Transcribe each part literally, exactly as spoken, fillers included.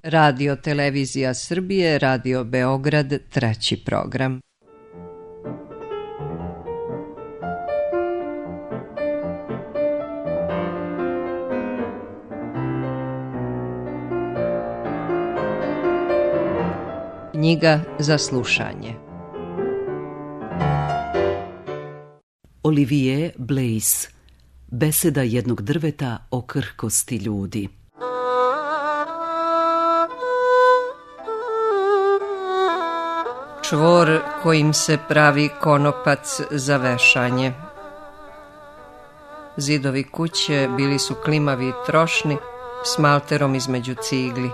Radio Televizija Srbije, Radio Beograd, treći program. Knjiga za slušanje. Olivier Bleys. Beseda jednog drveta o krhkosti ljudi. Čvor kojim se pravi konopac za vešanje. Zidovi kuće bili su klimavi i trošni, s malterom između cigli.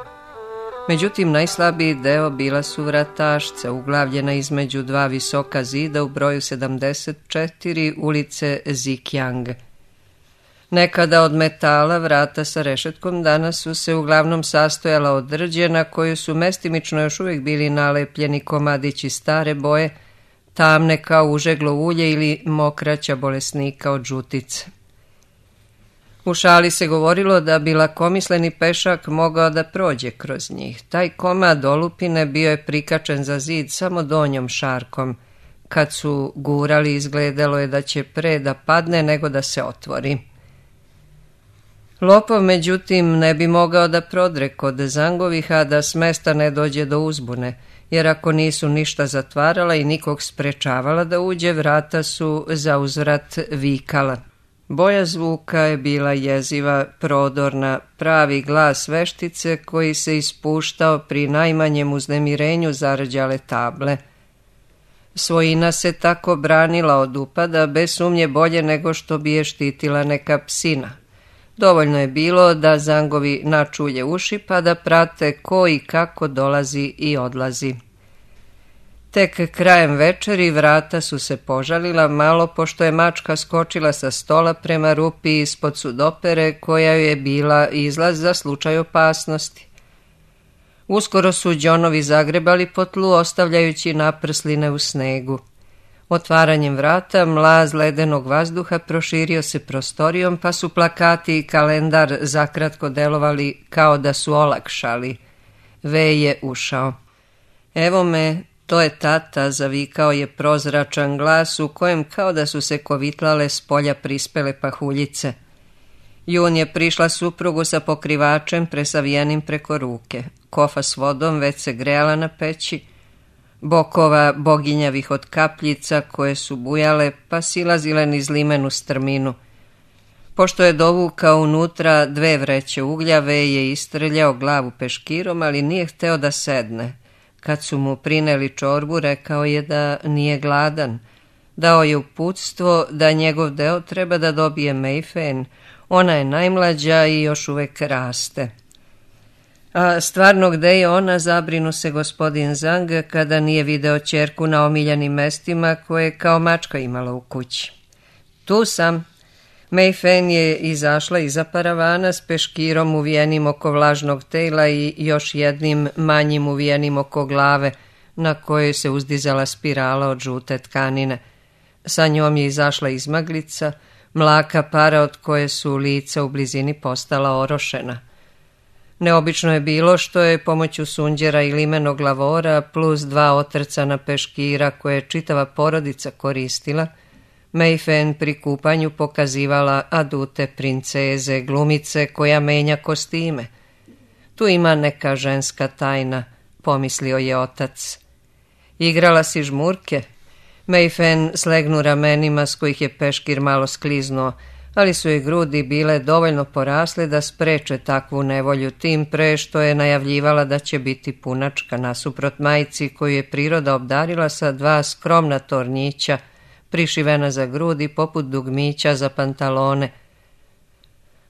Međutim, najslabiji deo bila su vratašca, uglavljena između dva visoka zida u broju sedamdeset četiri ulice Zikjang. Nekada od metala vrata sa rešetkom, danas su se uglavnom sastojala od drđe na koju su mestimično još uvijek bili nalepljeni komadići stare boje, tamne kao užeglo ulje ili mokraća bolesnika od žutice. U šali se govorilo da bi lakomisleni pešak mogao da prođe kroz njih. Taj komad olupine bio je prikačen za zid samo donjom šarkom. Kad su gurali, izgledalo je da će pre da padne nego da se otvori. Lopov, međutim, ne bi mogao da prodre kod Zangovih, a da s mesta ne dođe do uzbune, jer ako nisu ništa zatvarala i nikog sprečavala da uđe, vrata su za uzvrat vikala. Boja zvuka je bila jeziva, prodorna, pravi glas veštice koji se ispuštao pri najmanjem uznemirenju zarđale table. Svojina se tako branila od upada, bez sumnje bolje nego što bi je štitila neka psina. Dovoljno je bilo da Zangovi načulje uši pa da prate ko i kako dolazi i odlazi. Tek krajem večeri vrata su se požalila malo pošto je mačka skočila sa stola prema rupi ispod sudopere koja je bila izlaz za slučaj opasnosti. Uskoro su đonovi zagrebali po tlu ostavljajući naprsline u snegu. Otvaranjem vrata mlaz ledenog vazduha proširio se prostorijom pa su plakati i kalendar zakratko delovali kao da su olakšali. Ve je ušao. Evo me, to je tata, zavikao je prozračan glas u kojem kao da su se kovitlale s polja prispele pahuljice. Jun je prišla suprugu sa pokrivačem presavijenim preko ruke. Kofa s vodom već se grejala na peći, bokova boginjavih od kapljica koje su bujale pa silazile niz limenu strminu. Pošto je dovukao unutra dve vreće uglja, Ve je istrljao glavu peškirom, ali nije hteo da sedne. Kad su mu prineli čorbu, rekao je da nije gladan. Dao je uputstvo da njegov deo treba da dobije Meifen. Ona je najmlađa i još uvek raste. A stvarno gde je ona, zabrinu se gospodin Zang kada nije video ćerku na omiljenim mestima koje je kao mačka imala u kući. Tu sam. Meifen je izašla iza paravana s peškirom uvijenim oko vlažnog tela i još jednim manjim uvijenim oko glave, na kojoj se uzdizala spirala od žute tkanine. Sa njom je izašla izmaglica, mlaka para od koje su lica u blizini postala orošena. Neobično je bilo što je pomoću sunđera i limenog lavora plus dva otrcana peškira koje je čitava porodica koristila, Meifen pri kupanju pokazivala adute princeze, glumice koja menja kostime. Tu ima neka ženska tajna, pomislio je otac. Igrala si žmurke? Meifen slegnu ramenima s kojih je peškir malo skliznuo, ali su i grudi bile dovoljno porasle da spreče takvu nevolju, tim pre što je najavljivala da će biti punačka nasuprot majci koju je priroda obdarila sa dva skromna tornjića, prišivena za grudi poput dugmića za pantalone.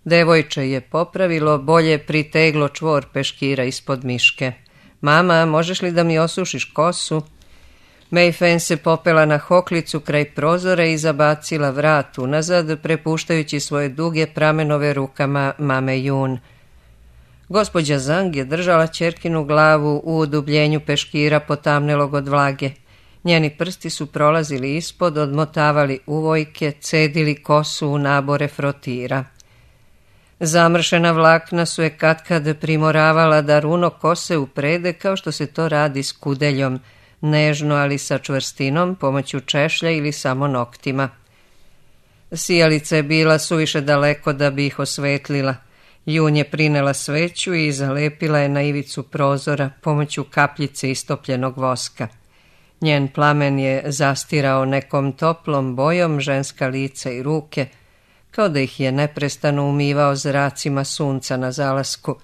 Devojče je popravilo, bolje priteglo čvor peškira ispod miške. Mama, možeš li da mi osušiš kosu? Meifen se popela na hoklicu kraj prozora i zabacila vrat unazad, prepuštajući svoje duge pramenove rukama mame Jun. Gospođa Zang je držala ćerkinu glavu u udubljenju peškira potamnelog od vlage. Njeni prsti su prolazili ispod, odmotavali uvojke, cedili kosu u nabore frotira. Zamršena vlakna su je katkad primoravala da runo kose uprede kao što se to radi s kudeljom, nežno ali sa čvrstinom, pomoću češlja ili samo noktima. Sijalica je bila suviše daleko da bi ih osvetlila. Jun je prinela sveću i zalepila je na ivicu prozora pomoću kapljice istopljenog voska. Njen plamen je zastirao nekom toplom bojom ženska lica i ruke, kao da ih je neprestano umivao zracima sunca na zalasku.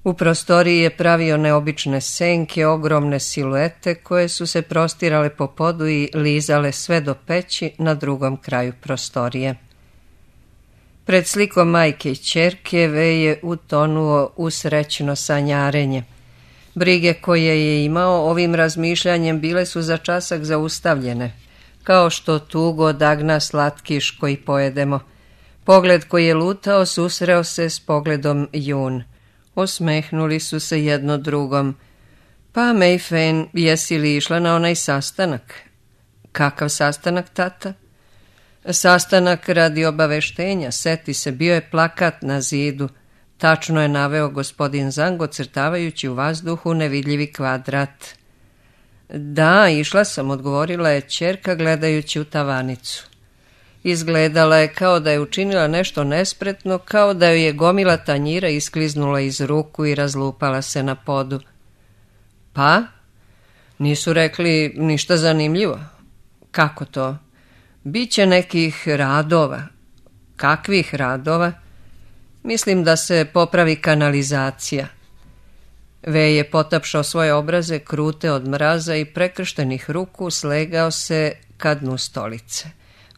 U prostoriji je pravio neobične senke, ogromne siluete koje su se prostirale po podu i lizale sve do peći na drugom kraju prostorije. Pred slikom majke i ćerke Ve je utonuo u srećno sanjarenje. Brige koje je imao ovim razmišljanjem bile su za časak zaustavljene, kao što tugo odagna slatkiš koji pojedemo. Pogled koji je lutao susreo se s pogledom Jun. Osmehnuli su se jedno drugom. Pa, Mei Fen, jesi li išla na onaj sastanak? Kakav sastanak, tata? Sastanak radi obaveštenja, seti se, bio je plakat na zidu. Tačno je naveo gospodin Zhang, ocrtavajući u vazduhu nevidljivi kvadrat. Da, išla sam, odgovorila je ćerka gledajući u tavanicu. Izgledala je kao da je učinila nešto nespretno, kao da joj je gomila tanjira iskliznula iz ruku i razlupala se na podu. Pa? Nisu rekli ništa zanimljivo. Kako to? Biće nekih radova. Kakvih radova? Mislim da se popravi kanalizacija. Ve je potapšao svoje obraze, krute od mraza i prekrštenih ruku, slegao se ka dnu stolice.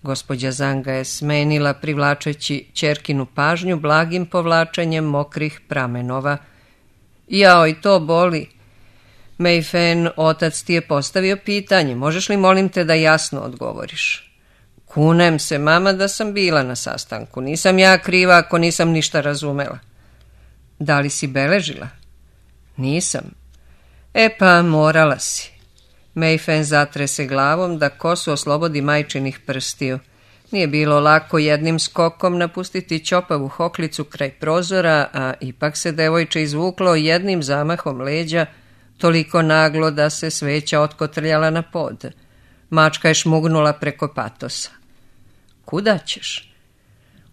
Gospođa Zanga je smenila, privlačeći ćerkinu pažnju blagim povlačenjem mokrih pramenova. Jao, i to boli. Mei Fen, otac ti je postavio pitanje, možeš li molim te da jasno odgovoriš? Kunem se, mama, da sam bila na sastanku. Nisam ja kriva ako nisam ništa razumela. Da li si beležila? Nisam. E pa, morala si. Mei Fen zatrese glavom da kosu oslobodi majčinih prstiju. Nije bilo lako jednim skokom napustiti ćopavu hoklicu kraj prozora, a ipak se devojče izvuklo jednim zamahom leđa, toliko naglo da se sveća otkotrljala na pod. Mačka je šmugnula preko patosa. Kuda ćeš?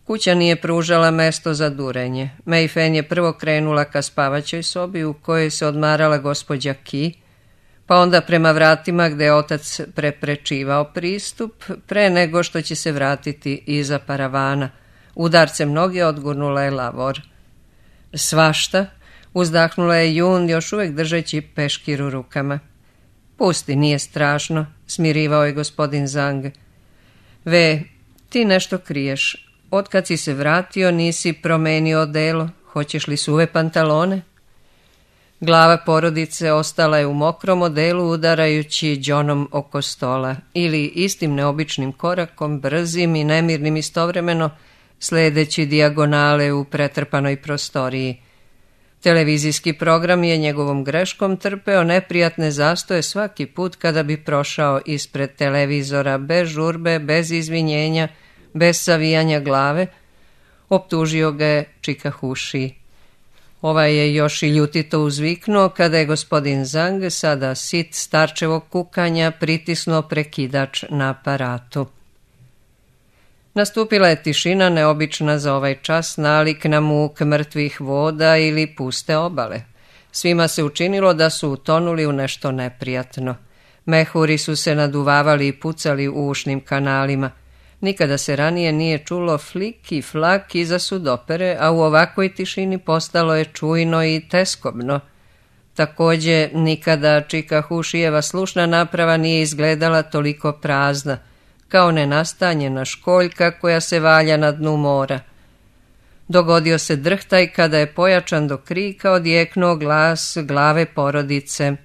Kuća nije pružala mesto za durenje. Mei Fen je prvo krenula ka spavaćoj sobi u kojoj se odmarala gospođa Ki, pa onda prema vratima gde je otac preprečivao pristup, pre nego što će se vratiti iza paravana. Udarcem noge odgurnula je lavor. Svašta, uzdahnula je Jun, još uvek držeći peškir u rukama. Pusti, nije strašno, smirivao je gospodin Zhang. Ve, ti nešto kriješ. Otkad si se vratio, nisi promenio odelo. Hoćeš li suve pantalone? Glava porodice ostala je u mokrom odelu, udarajući đonom oko stola, ili istim neobičnim korakom, brzim i nemirnim istovremeno, sledeći dijagonale u pretrpanoj prostoriji. Televizijski program je njegovom greškom trpeo neprijatne zastoje svaki put kada bi prošao ispred televizora, bez žurbe, bez izvinjenja, bez savijanja glave. Optužio ga je Čikahuši. Ovaj je još i ljutito uzviknuo kada je gospodin Zhang, sada sit starčevog kukanja, pritisnuo prekidač na aparatu. Nastupila je tišina neobična za ovaj čas, nalik na muk mrtvih voda ili puste obale. Svima se učinilo da su utonuli u nešto neprijatno. Mehuri su se naduvavali i pucali u ušnim kanalima. Nikada se ranije nije čulo flik i flak iza sudopere, a u ovakvoj tišini postalo je čujno i teskobno. Takođe, nikada Čikahušijeva slušna naprava nije izgledala toliko prazna, kao nenastanjena školjka koja se valja na dnu mora. Dogodio se drhtaj kada je pojačan do krika odjeknuo glas glave porodice.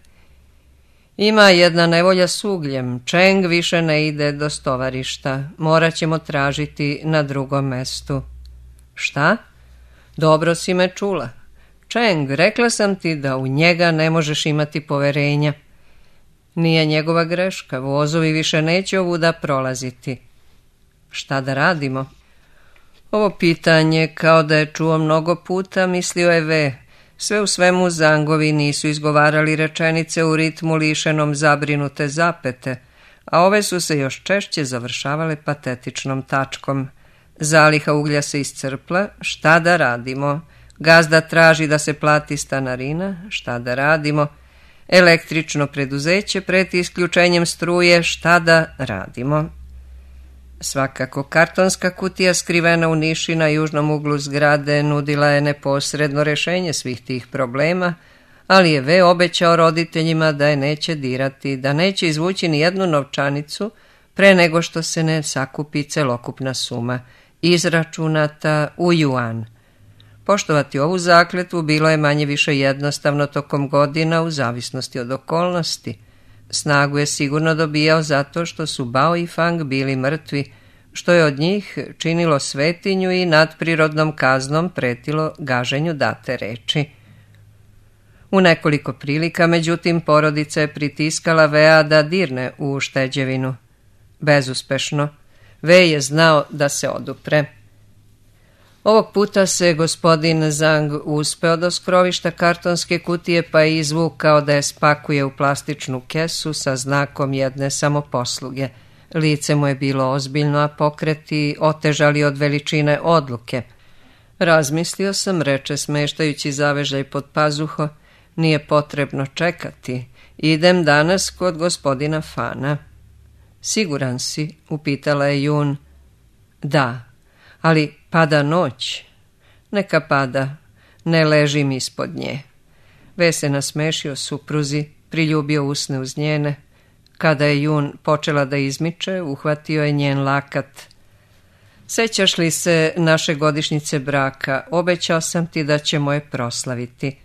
Ima jedna nevolja s ugljem, Čeng više ne ide do stovarišta, morat ćemo tražiti na drugom mestu. Šta? Dobro si me čula. Čeng, rekla sam ti da u njega ne možeš imati poverenja. Nije njegova greška, vozovi više neće ovuda prolaziti. Šta da radimo? Ovo pitanje, kao da je čuo mnogo puta, mislio je Ve. Sve u svemu Zangovi nisu izgovarali rečenice u ritmu lišenom zabrinute zapete, a ove su se još češće završavale patetičnom tačkom. Zaliha uglja se iscrpla, šta da radimo? Gazda traži da se plati stanarina, šta da radimo? Električno preduzeće preti isključenjem struje, šta da radimo? Svakako, kartonska kutija skrivena u niši na južnom uglu zgrade nudila je neposredno rješenje svih tih problema, ali je Ve obećao roditeljima da je neće dirati, da neće izvući ni jednu novčanicu pre nego što se ne sakupi celokupna suma, izračunata u juan. Poštovati ovu zakletvu bilo je manje više jednostavno tokom godina u zavisnosti od okolnosti. Snagu je sigurno dobijao zato što su Bao i Fang bili mrtvi, što je od njih činilo svetinju i nadprirodnom kaznom pretilo gaženju date reči. U nekoliko prilika, međutim, porodica je pritiskala Vea da dirne u ušteđevinu. Bezuspešno. Ve je znao da se odupre. Ovog puta se gospodin Zhang uspeo do skrovišta kartonske kutije pa je izvukao da je spakuje u plastičnu kesu sa znakom jedne samoposluge. Lice mu je bilo ozbiljno, a pokreti otežali od veličine odluke. Razmislio sam, reče smeštajući zavežaj pod pazuho, nije potrebno čekati. Idem danas kod gospodina Fana. Siguran si? Upitala je Jun. Da, ali pada noć. Neka pada, ne ležim ispod nje. Ve se nasmešio supruzi, priljubio usne uz njene. Kada je Jun počela da izmiče, uhvatio je njen lakat. Sećaš li se naše godišnjice braka? Obećao sam ti da ćemo je proslaviti.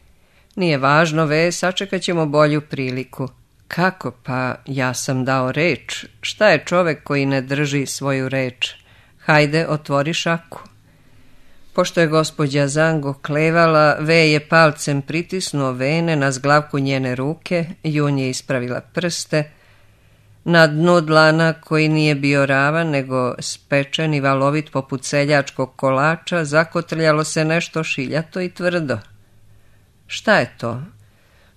Nije važno, Ve, sačekat ćemo bolju priliku. Kako? Pa ja sam dao reč. Šta je čovek koji ne drži svoju reč? Hajde, otvori šaku. Pošto je gospođa Zango klevala, Ve je palcem pritisnuo vene na zglavku njene ruke, Jun je ispravila prste. Na dnu dlana, koji nije bio ravan, nego spečen i valovit poput seljačkog kolača, zakotrljalo se nešto šiljato i tvrdo. Šta je to?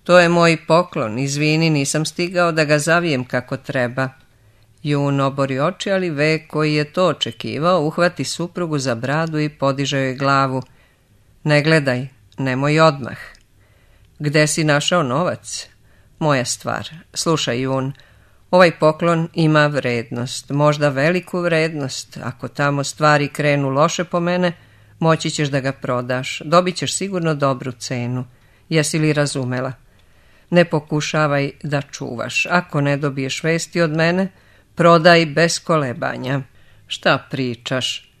To je moj poklon, izvini, nisam stigao da ga zavijem kako treba. Jun obori oči, ali Ve, koji je to očekivao, uhvati suprugu za bradu i podiže joj glavu. Ne gledaj, nemoj odmah. Gde si našao novac? Moja stvar. Slušaj, Jun, ovaj poklon ima vrednost, možda veliku vrednost. Ako tamo stvari krenu loše po mene, moći ćeš da ga prodaš. Dobit ćeš sigurno dobru cenu. Jesi li razumela? Ne pokušavaj da čuvaš. Ako ne dobiješ vesti od mene, prodaj bez kolebanja. Šta pričaš?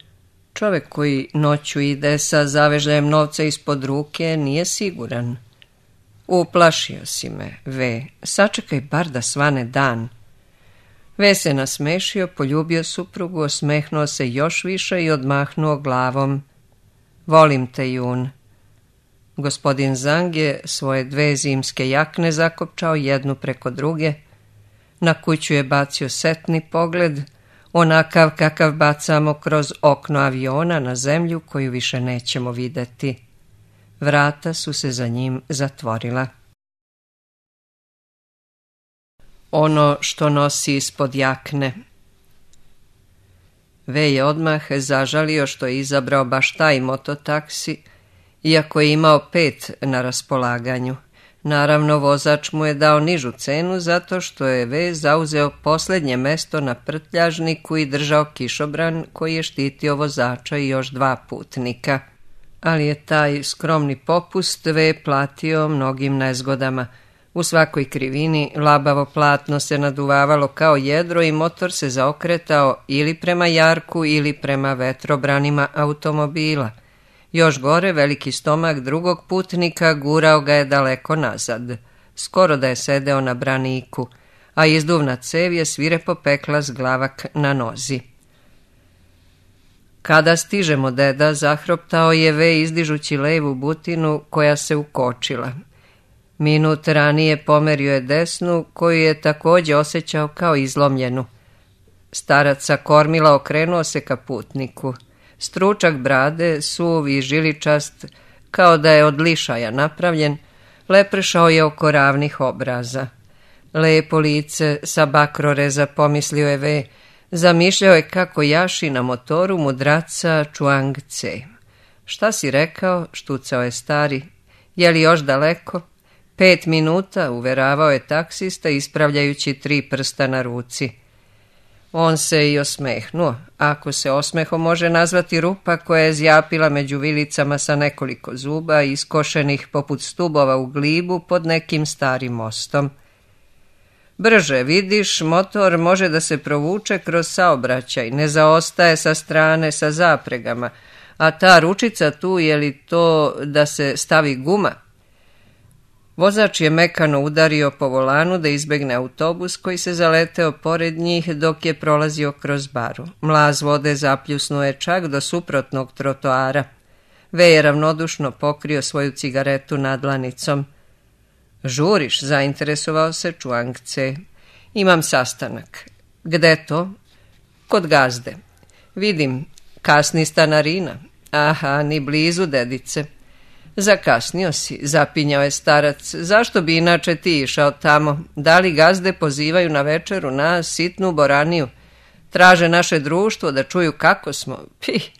Čovek koji noću ide sa zavežljajem novca ispod ruke nije siguran. Uplašio si me, Ve. Sačekaj bar da svane dan. Ve se nasmešio, poljubio suprugu, osmehnuo se još više i odmahnuo glavom. Volim te, Jun. Gospodin Zhang je svoje dve zimske jakne zakopčao jednu preko druge. Na kuću je bacio setni pogled, onakav kakav bacamo kroz okno aviona na zemlju koju više nećemo videti. Vrata su se za njim zatvorila. Ono što nosi ispod jakne. Ve je odmah zažalio što je izabrao baš taj mototaksi, iako je imao pet na raspolaganju. Naravno, vozač mu je dao nižu cenu zato što je Ve zauzeo posljednje mesto na prtljažniku i držao kišobran koji je štitio vozača i još dva putnika. Ali je taj skromni popust Ve platio mnogim nezgodama. U svakoj krivini labavo platno se naduvavalo kao jedro i motor se zaokretao ili prema jarku ili prema vetrobranima automobila. Još gore, veliki stomak drugog putnika gurao ga je daleko nazad, skoro da je sedeo na braniku, a izduvna cev je svirepo pekla zglavak na nozi. Kada stižemo, deda, zahroptao je Ve izdižući levu butinu koja se ukočila. Minut ranije pomerio je desnu, koju je također osjećao kao izlomljenu. Starac sa kormila okrenuo se ka putniku. Stručak brade, suv i žiličast, kao da je od lišaja napravljen, leprešao je oko ravnih obraza. Lepo lice sa bakroreza, pomislio je Ve, zamišljao je kako jaši na motoru mudraca Čuang Ce. Šta si rekao, štucao je stari, je li još daleko? Pet minuta, uveravao je taksista ispravljajući tri prsta na ruci. On se i osmehnuo, ako se osmehom može nazvati rupa koja je zjapila među vilicama sa nekoliko zuba, iskošenih poput stubova u glibu pod nekim starim mostom. Brže, vidiš, motor može da se provuče kroz saobraćaj, ne zaostaje sa strane sa zapregama, a ta ručica tu, je li to da se stavi guma? Vozač je mekano udario po volanu da izbegne autobus koji se zaleteo pored njih dok je prolazio kroz baru. Mlaz vode zapljusnuo je čak do suprotnog trotoara. Ve je ravnodušno pokrio svoju cigaretu nadlanicom. Žuriš, zainteresovao se Čuang Ce. Imam sastanak. Gde to? Kod gazde. Vidim, kasni stanarina. Aha, ni blizu, dedice. Zakasnio si, zapinjao je starac. Zašto bi inače ti išao tamo? Da li gazde pozivaju na večeru nas, sitnu boraniju? Traže naše društvo da čuju kako smo. Pih,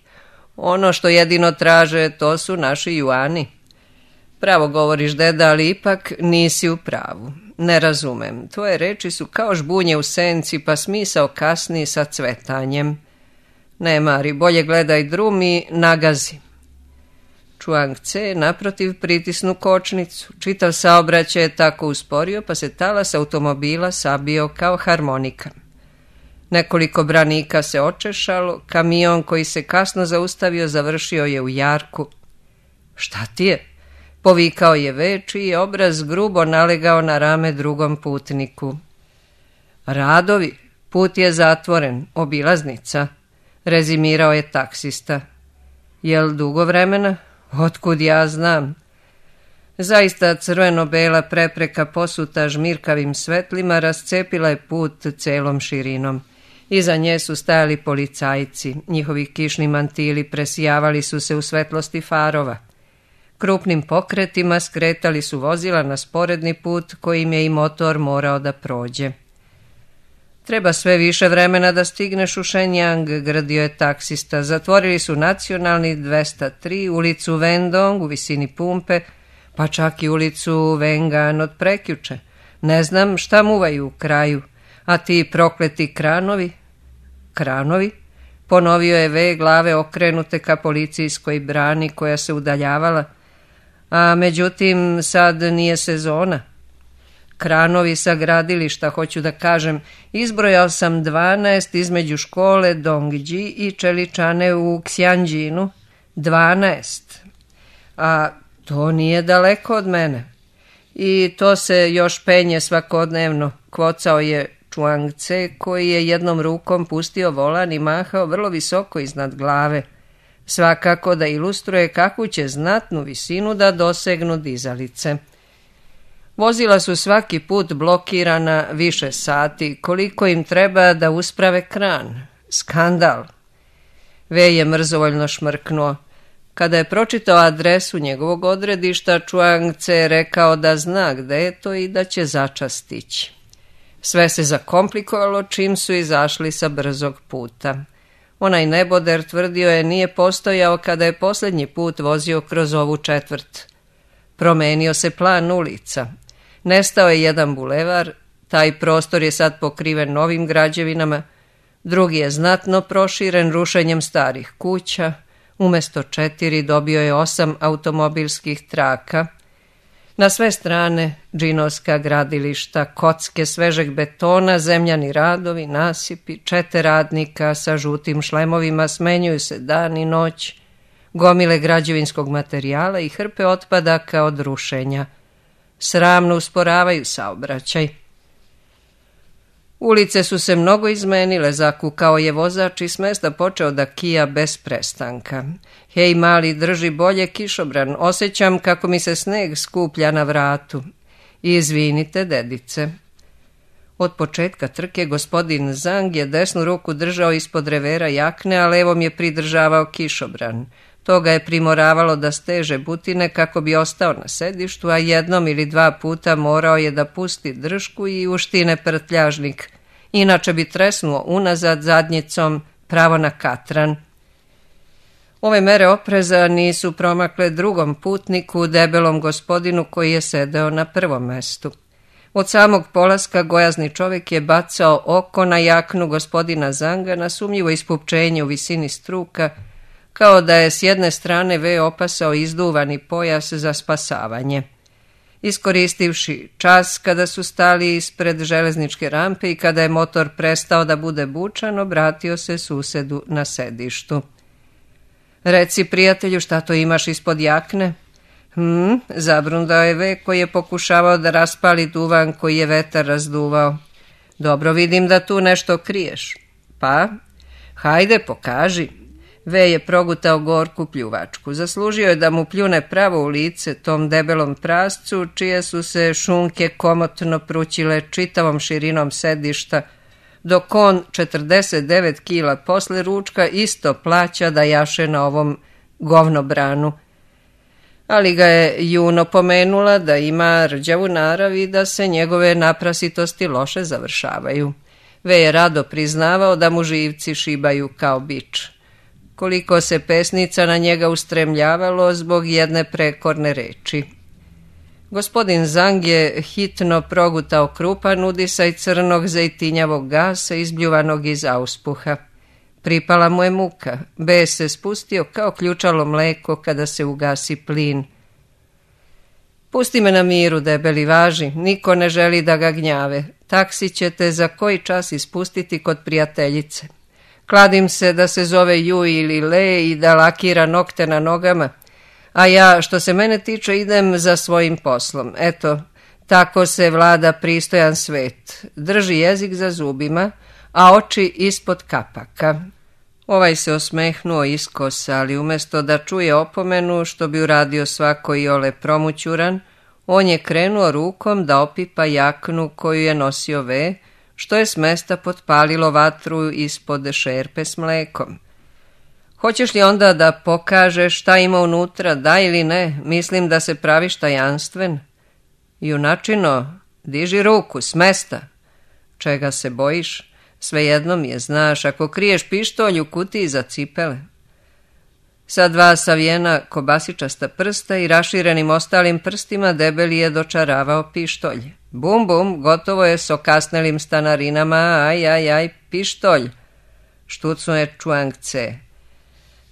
ono što jedino traže, to su naši juani. Pravo govoriš, deda, ali ipak nisi u pravu. Ne razumem. Tvoje reči su kao žbunje u senci, pa smisao kasni sa cvetanjem. Ne, Mari, bolje gledaj drum i nagazi. Čuang Ce naprotiv pritisnu kočnicu. Čitav saobraćaj je tako usporio, pa se talas automobila sabio kao harmonika. Nekoliko branika se očešalo, kamion koji se kasno zaustavio završio je u jarku. Šta ti je? Povikao je Ve, čiji je obraz grubo nalegao na rame drugom putniku. Radovi, put je zatvoren, obilaznica, rezimirao je taksista. Jel dugo vremena? Otkud ja znam? Zaista crveno-bela prepreka posuta žmirkavim svetlima rascepila je put celom širinom. Iza nje su stajali policajci, njihovi kišni mantili presijavali su se u svetlosti farova. Krupnim pokretima skretali su vozila na sporedni put kojim je i motor morao da prođe. Treba sve više vremena da stigneš u Shenyang, gradio je taksista. Zatvorili su nacionalni dvesta tri, ulicu Vendong u visini pumpe, pa čak i ulicu Wengan od prekjuče. Ne znam šta muvaju u kraju, a ti prokleti kranovi? Kranovi? Ponovio je Ve, glave okrenute ka policijskoj brani koja se udaljavala. A međutim, sad nije sezona. Kranovi sa gradilišta, hoću da kažem, izbrojao sam dvanaest između škole Dongji i čeličane u Xianjinu. Dvanaest. A to nije daleko od mene. I to se još penje svakodnevno, kvocao je Čuang Ce, koji je jednom rukom pustio volan i mahao vrlo visoko iznad glave. Svakako da ilustruje kakvu će znatnu visinu da dosegnu dizalice. Vozila su svaki put blokirana više sati, koliko im treba da usprave kran. Skandal. Ve je mrzovoljno šmrknuo. Kada je pročitao adresu njegovog odredišta, Čuang Ce je rekao da zna gde je to i da će začas stići. Sve se zakomplikovalo čim su izašli sa brzog puta. Onaj neboder, tvrdio je, nije postojao kada je posljednji put vozio kroz ovu četvrt. Promenio se plan ulica. Nestao je jedan bulevar, taj prostor je sad pokriven novim građevinama, drugi je znatno proširen rušenjem starih kuća, umesto četiri dobio je osam automobilskih traka. Na sve strane džinovska gradilišta, kocke svežeg betona, zemljani radovi, nasipi, čete radnika sa žutim šlemovima smenjuju se dan i noć, gomile građevinskog materijala i hrpe otpadaka od rušenja. Sramno usporavaju saobraćaj. Ulice su se mnogo izmenile, zakukao je vozač i s mesta počeo da kija bez prestanka. Hej, mali, drži bolje kišobran, osjećam kako mi se sneg skuplja na vratu. Izvinite, dedice. Od početka trke gospodin Zang je desnu ruku držao ispod revera jakne, a levom je pridržavao kišobran. To ga je primoravalo da steže butine kako bi ostao na sedištu, a jednom ili dva puta morao je da pusti držku i uštine prtljažnik. Inače bi tresnuo unazad zadnjicom pravo na katran. Ove mere opreza nisu promakle drugom putniku, debelom gospodinu koji je sedeo na prvom mestu. Od samog polaska gojazni čovjek je bacao oko na jaknu gospodina Zanga na sumnjivo ispupčenje u visini struka, kao da je s jedne strane ve opasao izduvani pojas za spasavanje. Iskoristivši čas kada su stali ispred železničke rampe i kada je motor prestao da bude bučan, obratio se susedu na sedištu. Reci, prijatelju, šta to imaš ispod jakne? Hm, zabrundao je ve koji je pokušavao da raspali duvan koji je vetar razduvao. Dobro, vidim da tu nešto kriješ. Pa, hajde, pokaži. Ve je progutao gorku pljuvačku. Zaslužio je da mu pljune pravo u lice tom debelom prascu, čije su se šunke komotno prućile čitavom širinom sedišta, dok on četrdeset devet kila posle ručka isto plaća da jaše na ovom govnobranu. Ali ga je Juno pomenula da ima rđavu narav i da se njegove naprasitosti loše završavaju. Ve je rado priznavao da mu živci šibaju kao bič. Koliko se pesnica na njega ustremljavalo zbog jedne prekorne reči. Gospodin Zang je hitno progutao krupan udisaj crnog zejtinjavog gasa izbljuvanog iz auspuha. Pripala mu je muka, bes se spustio kao ključalo mleko kada se ugasi plin. Pusti me na miru, debeli, važi, niko ne želi da ga gnjave. Taksi ćete za koji čas ispustiti kod prijateljice. Kladim se da se zove Ju ili Le i da lakira nokte na nogama, a ja, što se mene tiče, idem za svojim poslom. Eto, tako se vlada pristojan svet. Drži jezik za zubima, a oči ispod kapaka. Ovaj se osmehnuo iskosa, ali umjesto da čuje opomenu, što bi uradio svako iole promućuran, on je krenuo rukom da opipa jaknu koju je nosio ve, što je s mesta potpalilo vatru ispod šerpe s mlekom. Hoćeš li onda da pokažeš šta ima unutra, da ili ne? Mislim da se praviš tajanstven. Junačino, diži ruku, s mesta. Čega se bojiš? Svejedno mi je, znaš, ako kriješ pištolj u kutiji za cipele. Sa dva savijena kobasičasta prsta i raširenim ostalim prstima debeli je dočaravao pištolj. Bum, bum, gotovo je s okasnelim stanarinama, aj, aj, aj, pištolj. Štucno je Čuang Ce.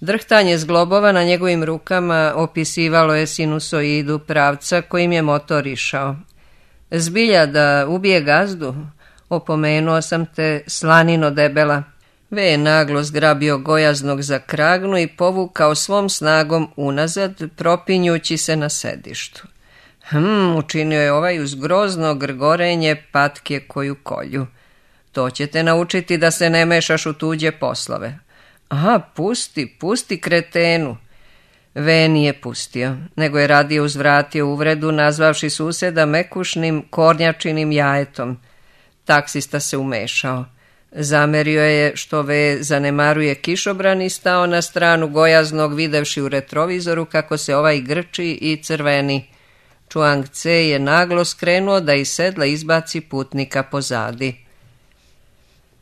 Drhtanje zglobova na njegovim rukama opisivalo je sinusoidu pravca kojim je motor išao. Zbilja da ubije gazdu, opomenuo sam te, slanino debela. Ve je naglo zgrabio gojaznog za kragnu i povukao svom snagom unazad, propinjući se na sedištu. Hm, učinio je ovaj uz grozno grgorenje patke koju kolju. To će te naučiti da se ne mešaš u tuđe poslove. Aha, pusti, pusti kretenu. Ve nije pustio, nego je radije uzvratio uvredu nazvavši suseda mekušnim kornjačinim jajetom. Taksista se umešao. Zamerio je što Ve zanemaruje kišobran i stao na stranu gojaznog videvši u retrovizoru kako se ovaj grči i crveni. Čuang Ce je naglo skrenuo da iz sedla izbaci putnika pozadi.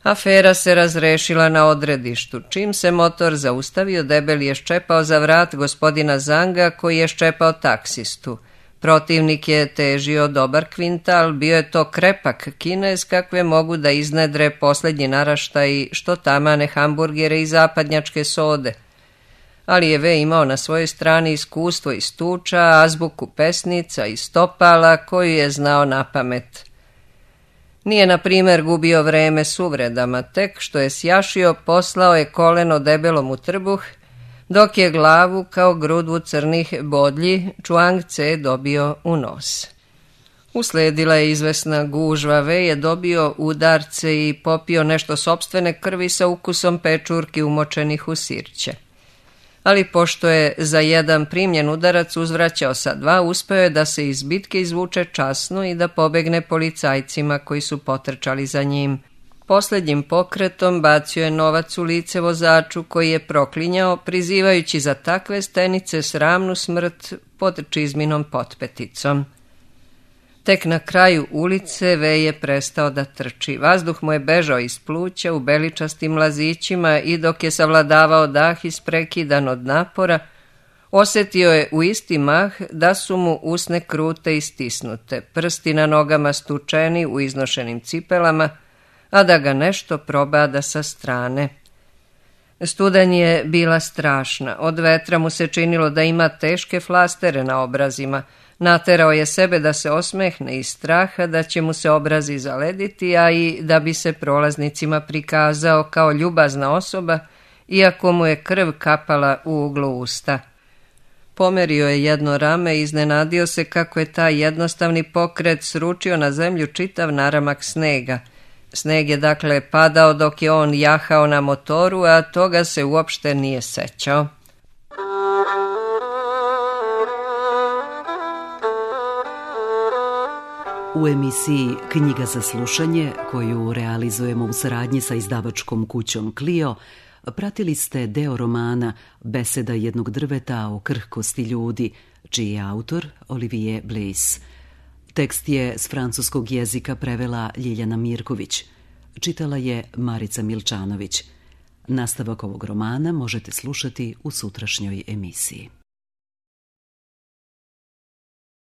Afera se razrešila na odredištu. Čim se motor zaustavio, debeli je ščepao za vrat gospodina Zanga koji je ščepao taksistu. Protivnik je težio dobar kvintal, bio je to krepak Kinez kakve mogu da iznedre posljednji naraštaj što tamane hamburgere i zapadnjačke sode. Ali je Ve imao na svojoj strani iskustvo iz tuča, azbuku pesnica i stopala koju je znao na pamet. Nije, na primjer, gubio vreme s uvredama, tek što je sjašio, poslao je koleno debelom u trbuh, dok je glavu kao grudvu crnih bodlji Čuang Ce dobio u nos. Usledila je izvesna gužva, Ve je dobio udarce i popio nešto sopstvene krvi sa ukusom pečurki umočenih u sirće. ali pošto je za jedan primljen udarac uzvraćao sa dva, uspeo je da se iz bitke izvuče časno i da pobegne policajcima koji su potrčali za njim. Posljednjim pokretom bacio je novac u lice vozaču koji je proklinjao, prizivajući za takve stenice sramnu smrt pod čizminom potpeticom. Tek na kraju ulice Vej je prestao da trči. Vazduh mu je bežao iz pluća u beličastim lazićima i dok je savladavao dah isprekidan od napora, osjetio je u isti mah da su mu usne krute i stisnute, prsti na nogama stučeni u iznošenim cipelama, a da ga nešto probada sa strane. Studanj je bila strašna, od vetra mu se činilo da ima teške flastere na obrazima. Naterao je sebe da se osmehne iz straha da će mu se obrazi zalediti, a i da bi se prolaznicima prikazao kao ljubazna osoba, iako mu je krv kapala u uglu usta. Pomerio je jedno rame i iznenadio se kako je taj jednostavni pokret sručio na zemlju čitav naramak snega. Sneg je dakle padao dok je on jahao na motoru, a toga se uopšte nije sećao. U emisiji Knjiga za slušanje, koju realizujemo u saradnji sa izdavačkom kućom Clio, pratili ste deo romana Beseda jednog drveta o krhkosti ljudi, čiji je autor Olivier Bleys. Tekst je s francuskog jezika prevela Ljiljana Mirković. Čitala je Marica Milčanović. Nastavak ovog romana možete slušati u sutrašnjoj emisiji.